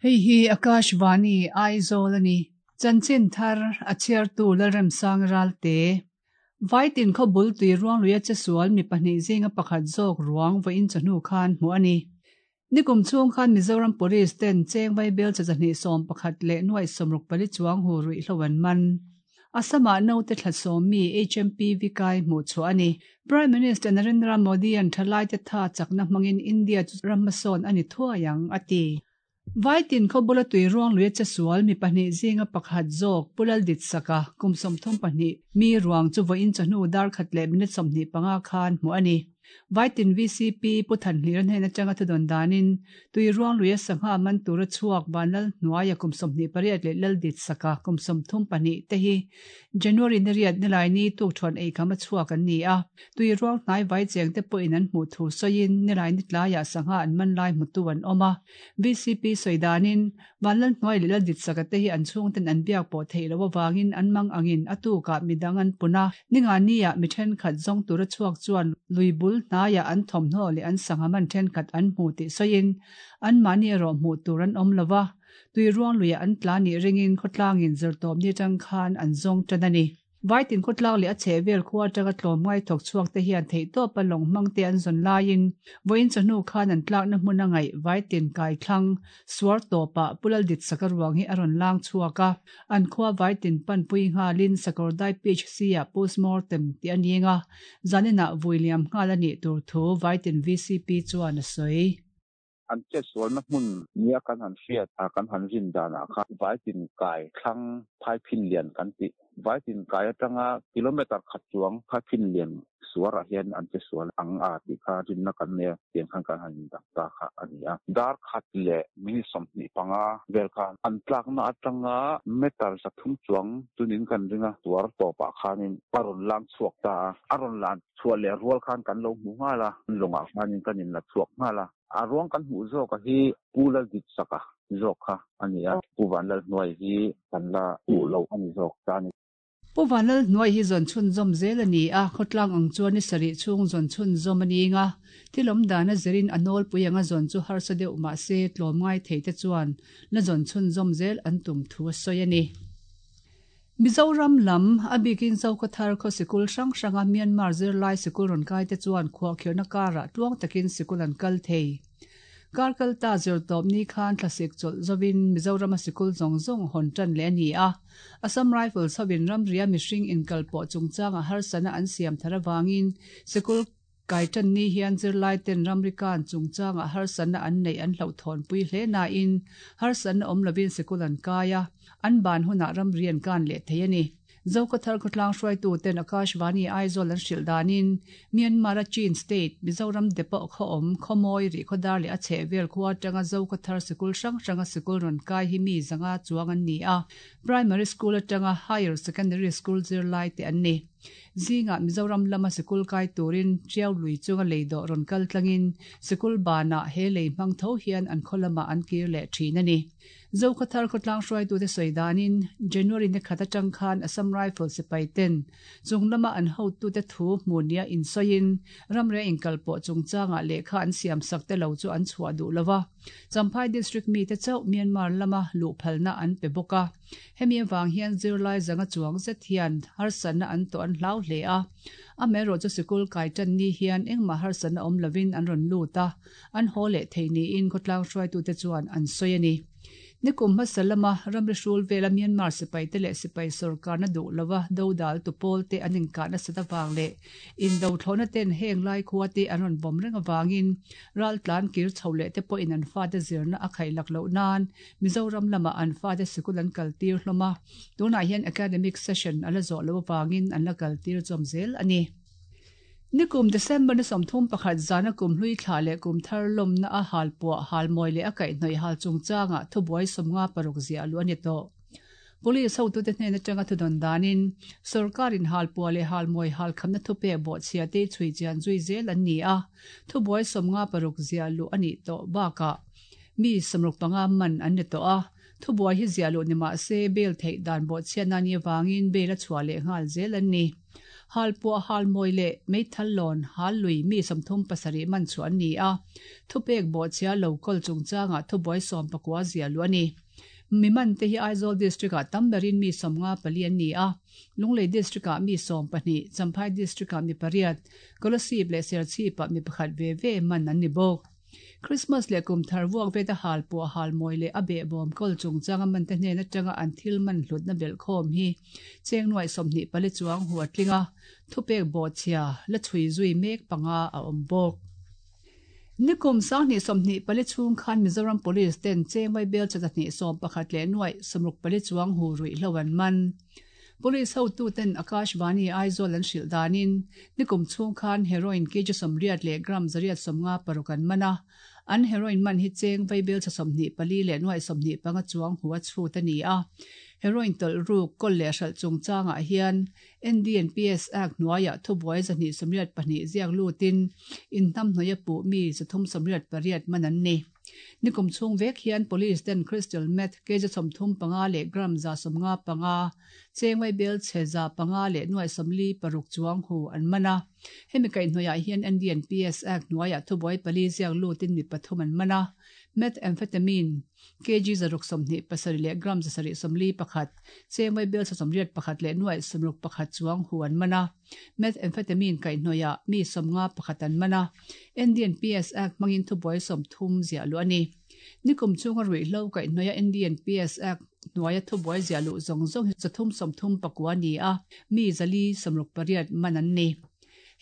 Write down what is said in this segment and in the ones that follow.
Hei hi Akashvani, Aizawl a ni. Chanchin thar a chhiartu Lalremsang Ralte. Vaitin khaw bul tui ruangluia chesual mi pahnih zinga pakhat zawk ruang vawiin chawhnu khan hmuh a ni. Nikum chhung khan Mizoram Police ten cheng vaibel cha zahnih 11 leh nuaih 64 chuang hu ruihhlo an man. Assam-ah naute thla sawm mi HMPV kai hmuh chhuah a ni. Prime Minister Narendra Modi-a'n thalaite tha chakna hmangin India chu ram hmasawn a ni thuai ang, a ti. Vaitin khaw bula tui ruang luia chesual mi pahnih zinga pakhat zawk Pu Lalditsaka kum 32 mi ruang chu vawiin chawhnu dar khat leh minute 25 khan hmuh a ni. Vaitin VCP Pu Thanhlira hnen atanga thudawn danin tui ruang luia sangha man tura chhuak Vanlal hnuaia kum 28 leh Lalditsaka kum 32 te hi January ni riat Nilaini tukthuan eikham a chhuak an ni a, tui ruang hnai vai cheng te pawhin an hmuh thu sawiin Nilaini tlaiah sangha an man lai hmutu an awm a. VCP sawi danin Vanlal hnuai leh Lalditsaka te hi an chhungten an biak pawh theih loh avangin an mang angin a tukah midang an pun a, Ningani-ah mi thenkhat zawng tura chhuak chuan lui bul hnaiah an thawmhnaw leh an sangha man thenkhat an hmu tih sawiin anmahni erawh hmuh tur an awm lo va, tui ruang luiah an tla nih ringin khawtlangin zirtawpni atang khan an zawng tan a ni. Vaitin khawtlang leh a chhehvel khua atanga tlawmngai thawk chhuak te hian theihtawpa lawng hmang te an zawn laiin vawiin chawhnu khan an tlakna hmun a ngaih Vaitin kaithlang suar tawpah Pu Lalditsaka ruang hi a rawn lang chhuak a, an khua Vaitin panpui nghalin Sakawrdai PHC-ah postmortem tih a ning a, zaninah vui liam nghal a nih tur thu Vaitin VCP chuan a sawi. An chetsualna hmun nia kan han hriat a, kan han rin danah khan Vaitin kai thlang Phaiphin lian kan tih. Vaitin kai atanga kilometer khat chuang Phaiphin lian suarah hian an chesual ang a tih kha rinna kan nei a, tiang khan kan han indang ta kha a ni a. Dar khat leh minute 25 vel khan an tlakna atanga meter 300 chuang chunin kan ring a, suar tawpah khanin a rawn lang chhuak ta a, a rawn lan Chhuah leh rual khan kan lo hmu nghal a, lawngah khanin kan inla chhuak nghal a. A ruang kan hmuh zawk a hi Pu Lalditsaka zawk kha a ni a, Pu Vanlalhnuai hi kan la hmuh loh a ni zawk ta a ni. Pu Vanlalhnuai hi zawn chhunzawm zel a ni a, khawtlang ang chuan ni sarih chhung zawn chhunzawm a ning a, thil awm dan a zirin a nawlpui anga zawn chu harsa deuh mah se tlawmngai thei te chuan la zawn chhunzawm zel an tum thu a sawi a ni. Mizoram lam, a bikin Zokhawthar khaw sikul hrang hranga Myanmar zirlai sikul rawn kai te chuan khuahkhirhna karah tluang takin sikul an kal thei. Kar kal ta zirtawp ni khan thlasik chawlh zovin Mizorama sikul zawng zawng hawn tan leh a ni a. Assam Rifles hovin ramria mihring inkalpawh chungchanga harsatna an siam thar avangin sikul Kai tan ni hian zirlai ten ramri kan chungchangah harsatna an neih an hlauhthawnpui hle nain harsatna awm lovin sikul an kai a, an ban hunah ramri an kan leh thei a ni. Zokhawthar khawtlang hruaitu ten Akashvani Aizawl an hrilh danin Myanmar-a Chin State, Mizoram depot khaw awm, Khawmawi, Rihkhawdar leh a chhehvel khua atanga Zokhawthar sikul hrang hranga sikul rawn kai hi mi zanga chuang an ni a, Primary School atanga Higher Secondary School zirlai te an ni. Zingah Mizoram lama sikul kai turin Tiau lui chunga lei dawh rawn kal tlangin sikul banah he lei hmang tho hian an khaw lamah an kir leh thin a ni. Zokhawthar khawtlang hruaitute sawi danin January ni khat atang khan Assam Rifle sipai ten chung lama an hotute thu hmu nia insawiin ramria inkalpawh chungchangah lehkha an siamsak te lo chu an chhuah duh lo va. Champhai District mite chauh Myanmar lama luh phalna an pe bawk a. Hemi avang hian zirlai zanga chuang zet hian harsatna an tawh an hlau hle a. Amaherawhchu sikul kai tan ni hian engmah harsatna awm lovin an rawn lut a, an haw leh thei niin khawtlang hruaitute chuan an sawi a ni. Nikum hmasa lama ramri hrul vela Myanmar sipaite leh sipai sawrkarna duh lova dodal tu pawlte an inkah nasat avang leh indothlawhna ten heng lai khua te an rawn vawm reng avangin raltlan kir chho leh te pawhin an fate zirna a khaih lak loh nan Mizoram lamah an fate sikul an kaltir hlawm a, tunah hian academic session a la zawh loh avangin an la kaltir chawm zel a ni. Nikum December ni 31 zana kum hlui thlah leh kum thar lawmna a hal puah, hal mawi leh a kaihhnawih hal chungchangah thubuai 56 ziah luh a ni tawh. Police hotute hnen atanga thudawn danin sorkarin hal puah leh hal mawi hal khamna thupek bawhchhia te chhui chian zui zel an ni a, thubuai 56 ziah luh a nih tawh bakah mi 65 man an ni tawh a. Thubuai hi ziah luh ni mah se bail theih dan bawhchhiatna ni avangin bail a chhuah leh nghal zel an ni. Halpuah halmawi leh meithal lawn hal lui mi 37 man chhuah an ni a, thupek bawhchhia lo kawl chungchangah thubuai 19 ziah luh a ni. Mi man te hi Aizawl District-ah tam berin mi 54 an ni a, Lunglei District-ah mi 12, Champhai District-ah mi pariat, Kolasib leh Serchhip-ah mi pakhat ve ve man an ni bawk. Christmas leh kum thar vuak veta hal pawh hal mawi leh a behbawm kawl chungchang a mante hnen atanga an thil man hlutna belhkhawm hi cheng nuaih 24 chuang hu a tling a, thupek bawhchhia la chhui zui mek panga a awm bawk. Nikum 2024 chhung khan Mizoram Police ten cheng vaibel cha zahnih 11 leh nuaih 64 chuang hu ruihhlo an man. Police hotuten Akashvani Aizawl an hrilh danin nikum chhung khan heroin kg 80 leh gram 156 an man a, an heroin man hi cheng vaibel cha 24 leh nuaih 25 chuang hu a chhut a ni a. Heroin tawlh ruk kawl leh hralh chungchangah hian NDNPS Act hnuaiah thubuai 282 ziak lutin inhnamhnawih a puh mi 388 man an ni. Nikum chhung vek hian Police ten Crystal Meth kg 35 leh gram 155, cheng vaibel chhe 500 leh nuaih 46 chuang hu an man a. Hemi kaihhnawihah hian NDNPS Act hnuaiah thubuai pali ziak lutin mi pathum an man a. Methamphetamine kg 627 leh gram 741, cheng vaibel 81 leh nuaih 61 chuang hu an man a. Methamphetamine kaihhnawihah mi 51 an man a. NDNPS Act hmangin thubuai 30 ziah luh a ni. Nikum chhunga ruihhlo kaihhnawih a NDNPS Act hnuaia thubuai ziah luh zawng zawng hi 339 a ni a, mi 468 man an ni.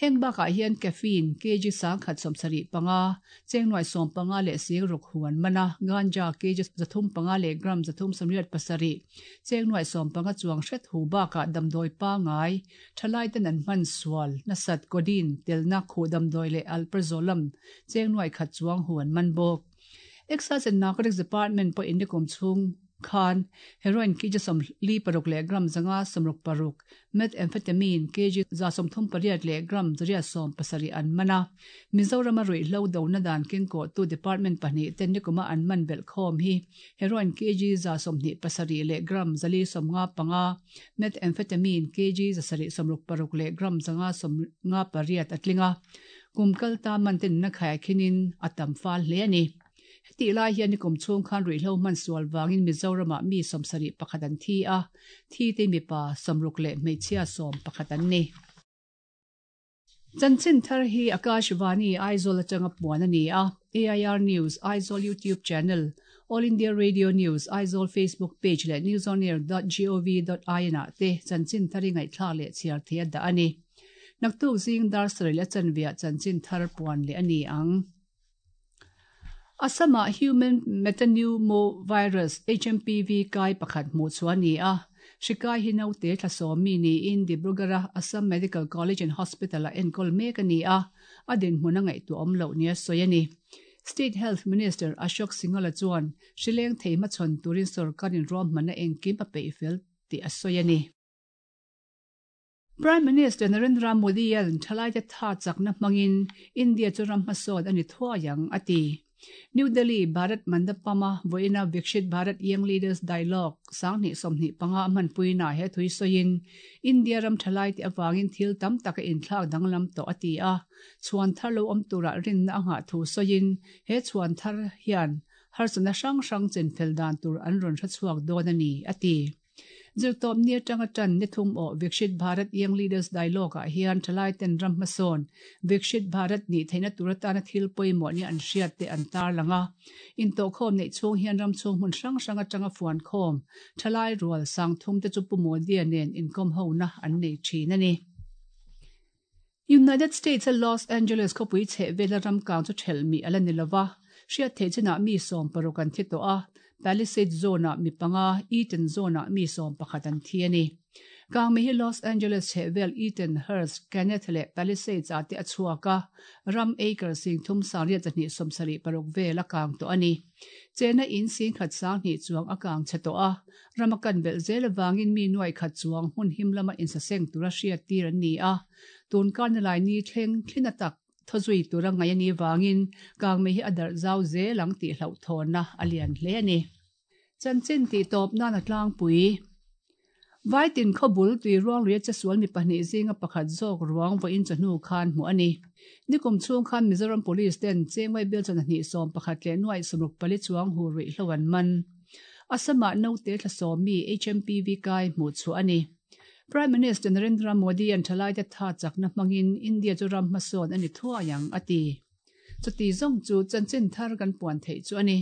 Heng bakah hian caffeine kg 175, cheng nuaih 15 leh sing ruk hu an man a, ganja kg 305 leh gram 387, cheng nuaih 15 chuang hret hu bakah damdawi pangai, thalai ten an hman sual, nasat, codeine, telna, khuh damdawi leh alprazolam, cheng nuaih khat chuang hu an man bawk. Excise and Narcotics Department pawhin nikum chhung khan heroin kg 46 leh gram 566, methamphetamine kg 138 leh gram 870 an man a. Mizorama ruihhlo dona dan kengkawhtu department pahnih ten nikuma an man belhkhawm hi heroin kg 127 leh gram 455, methamphetamine kg 766 leh gram 558 a tling a. Kum kal ta man ten na khai khinin a tam fal hle a ni. Heti lai hian nikum chhung khan ruihhlo hman sual wangin Mizoramah mi 71 an thi a, thi te mipa 60 leh hmeichhia 11 an ni. Chanchin thar hi Akashvani Aizawl atanga puan a ni a, AIR News Aizawl YouTube channel, All India Radio News Aizawl Facebook page leh newsonair.gov.in ah te chanchin thar hi ngaihthlak leh chhiar thei a dah a ni. Naktuk zing dar sarih leh chanveah chanchin thar puan leh a ni ang. Assam-ah Human Metapneumovirus, HMPV, kai pakhat hmuh chhuah a ni a. Hri kai hi naute thla sawm mi niin Dibrugarh-a Assam Medical College and Hospital-ah enkawl mek a ni a, a dinhmun a ngaihtuah awm loh nia sawi a ni. State Health Minister Ashok Singhal-a chuan hri leng thei hmachhawn turin sorkarin ruahmanna engkim a peih fel tih a sawi a ni. Prime Minister Narendra Modi-a'n thalaite tha chakna hmangin India chu ram hmasawn a ni thuai ang, a ti. New Delhi, Bharat Mandapam-a vawiina Viksit Bharat Young Leaders Dialogue 2025 a hmanpuinaah he thui sawiin India ram thalaite avangin thil tam tak a inthlak danglam tawh a ti a, chhuan thar lo awm turah rinna a nghah thu sawiin he chhuan thar hian harsatna hrang hrang chenfel dan tur an rawn hrechhuak dawn a ni, a ti. Zirtawp ni atanga tan ni thum aw Viksit Bharat Young Leaders Dialogue ah hian thalai ten ram hmasawn Viksit Bharat nih theihna tur atana thil pawimawh nia an hriat te an tarlang a. Intawhkhawm neih chhung hian ram chhung hmun hrang hrang atanga fuankhawm thalai rual sang thum te chu Pu Modi-a nen inkawm hona an nei thin a ni. United States-a Los Angeles khawpui chheh vela ram kang chu thelh mi a la ni lova, hriat theih chinah mi 16 an thi tawh a, Palisades Zone-ah mi panga, Eaton Zone-ah mi 11 an thi a ni. Kang mi hi Los Angeles chheh vel Eaton, Hurst, Kenneth leh Palisades-ah te a chhuak a, ram acre 3876 vel a kang tawh a ni. Chena in 10,200 chuang a kang chhe tawh a, ram a kan belh zel avangin mi nuaih khat chuang hmun him lama insaseng tura hriat tir an ni a, tun karna lai ni thleng thlina tak thawzui tura ngaih a ni vangin kangmei hi a darh zau zel ang tih hlauhthawnna a lian hle a ni. Chanchin tih tawp nan a tlangpui. Vaitin khawbul tui ruangluia chesual mi pahnih zinga pakhat zawk ruang vawiin chawhnu khan hmuh a ni. Nikum chhung khan Mizoram Police ten Chengwai bial chawhna hnih 11 leh nuaih 64 chuang hu ruihhlo an man. Assam-ah naute thla sawmi HMPV kai hmuh chhuah a ni. Prime Minister Narendra Modi-a'n thalaite tha chakna hmangin India chu ram hmasawn a ni thuai ang, a ti. Chuti zawng chu chanchin thar kan puan theih chu a ni.